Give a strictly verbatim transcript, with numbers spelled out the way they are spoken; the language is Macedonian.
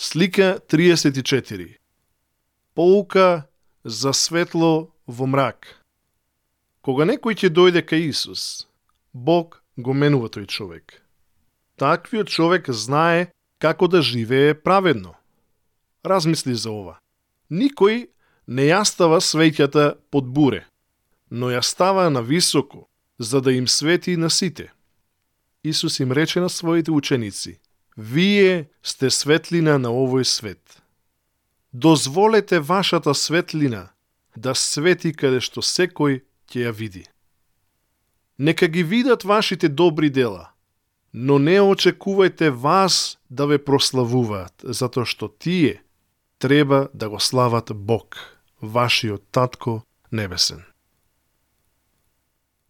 Слика триесет и четири. Поука за светло во мрак. Кога некој ќе дојде кај Исус, Бог го менува тој човек. Таквиот човек знае како да живее праведно. Размисли за ова. Никој не ја става свеќата под буре, но ја става на високо, за да им свети на сите. Исус им рече на своите ученици: вие сте светлина на овој свет. Дозволете вашата светлина да свети каде што секој ќе ја види. Нека ги видат вашите добри дела, но не очекувајте вас да ве прославуваат, затоа што тие треба да го слават Бог, вашиот Татко небесен.